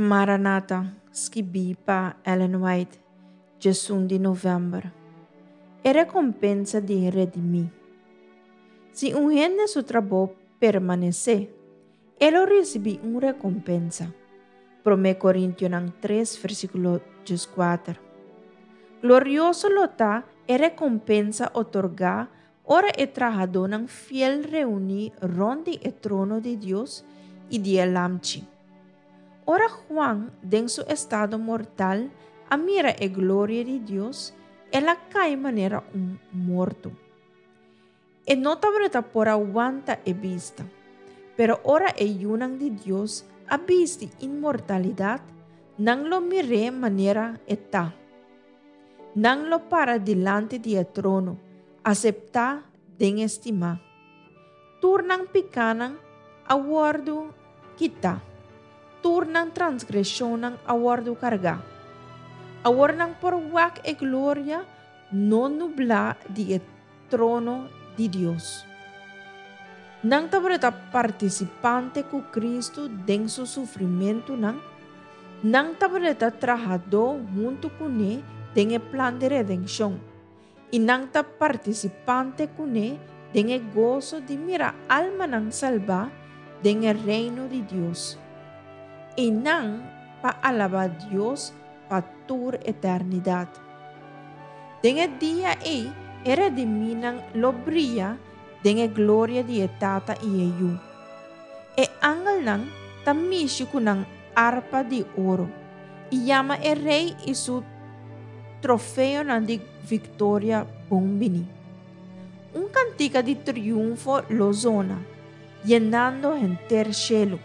Maranata, skibí pa Ellen White, 11 di novèmber. E rekompensa di redimí. Si un hende su trabou permanesé, e lo risibí un rekompensa. Promé Korintionan 3, versíkulo 14. Glorioso lo ta e rekompensa otorgá ora e trahadónan fiel reuní rònt di e trono di Dios i di e Lamchi. Ora Juan, den su estado mortal, a mira e gloria di Dios, el a kai manera un morto. E no tabata por a wanta e bista. Pero ora e yunan di Dios a bisti inmortalidat, nan lo mir'é manera e ta. Nan lo para dilanti di e trono, aseptá den e stimá. Tur nan pikánan a wòrdu kitá, tur nan transgreshonnan a wòrdu kargá. Awor nan por wak e gloria no nublá di e trono di Dios. Nan tabata partisipante ku Kristu den su sufrimentunan, nan tabata trahadó huntu kuné den e plan di redenshon, i nan ta partisipante kuné den e goso di mira almanan salbá den e Reino di Dios. I nan pa alabá Dios pa tur eternidat. Den e dia ei e redimínan lo bria den e gloria di e Tata i e Yu. E angelnan ta mishi ku nan arpa di oro i yama e Rei i su trofeonan di viktoria bon bini. Un kantika di triunfo lo zona, yenando henter shelu.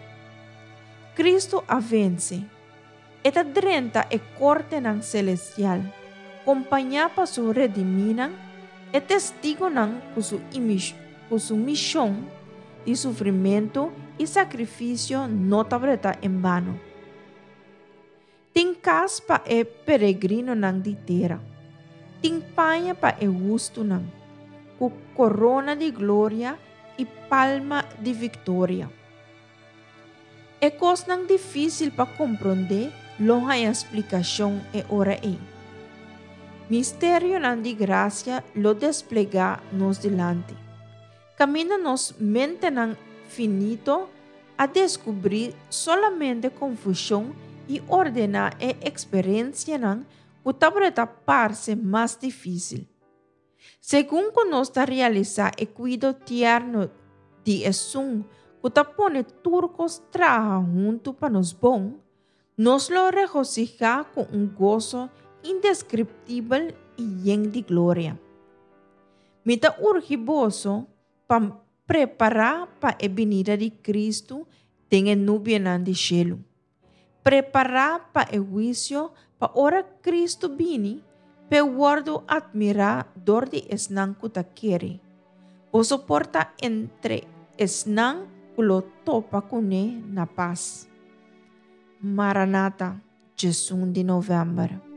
Kristu a vense! E ta drenta e kortenan selestial, kompañá pa su redimínan, e testigunan ku su ku su mishon di sufrimentu i sakrifisio no tabata en bano. Tin kas pa e peregrinonan di tera, tin paña pa e hustunan, ku korona di gloria i palma di viktoria. E kosnan difísil pa komprondé lo haña splikashon e ora ei. Misterionan di grasia lo desplegá nos dilanti, kaminda nos mentenan finito a deskubrí solamente konfushon i ordená e eksperensianan ku tabata parse mas difísil. Segun ku nos ta realisá e kuido tierno di esun ku ta pone tur kos traha huntu pa nos bon, nos lo regosihá ku un goso indeskriptibel i yen di gloria. Mi ta urgi boso pa prepará pa e binida di Kristu den e nubianan di shelu. Prepará pa e huisio pa ora Kristu bini, p'e wòrdu atmirá dor di esnan ku ta kere. Boso por ta entre esnan ku lo topa kuné na pas. Maranata, 11 di novèmber.